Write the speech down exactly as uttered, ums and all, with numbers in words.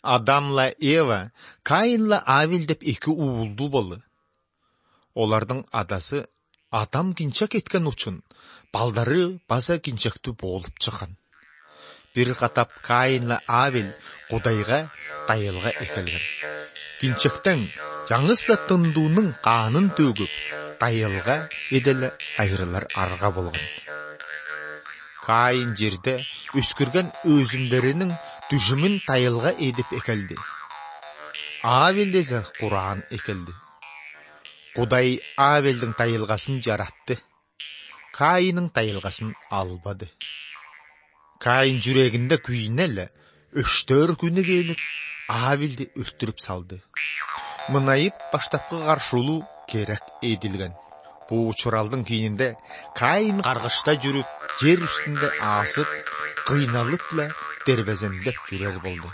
Адамла Эва, Каинла Авель деп эки уулду болду. Олардын адасы Адам кинчек эткен үчүн балдары баса кинчектүү болуп чыккан. Бир катап Каинла Авель Кудайга дайылга экелген. Кинчектен жаңысла тындуунун канын төгүп, дайылга эделе айрылар арга болгон. Каин жерде өскүргөн өзүмдөрүнүн түшүмүн дайылга эдип экелди. Авель эсе Куран экелди. Кудай Авелдин дайылгасын жаратты. Каинин дайылгасын албады. Каин жүрегинде күйүнө өчтөр күнү келип, Авелди өлтүрүп салды. Мынайып баштапкы каршылуу керек эдилген. Бу учуралдын кийининде Каин каргышта жүрүп, жер үстүндө асып, кыйналып эле дербезендеп жүрөр болду.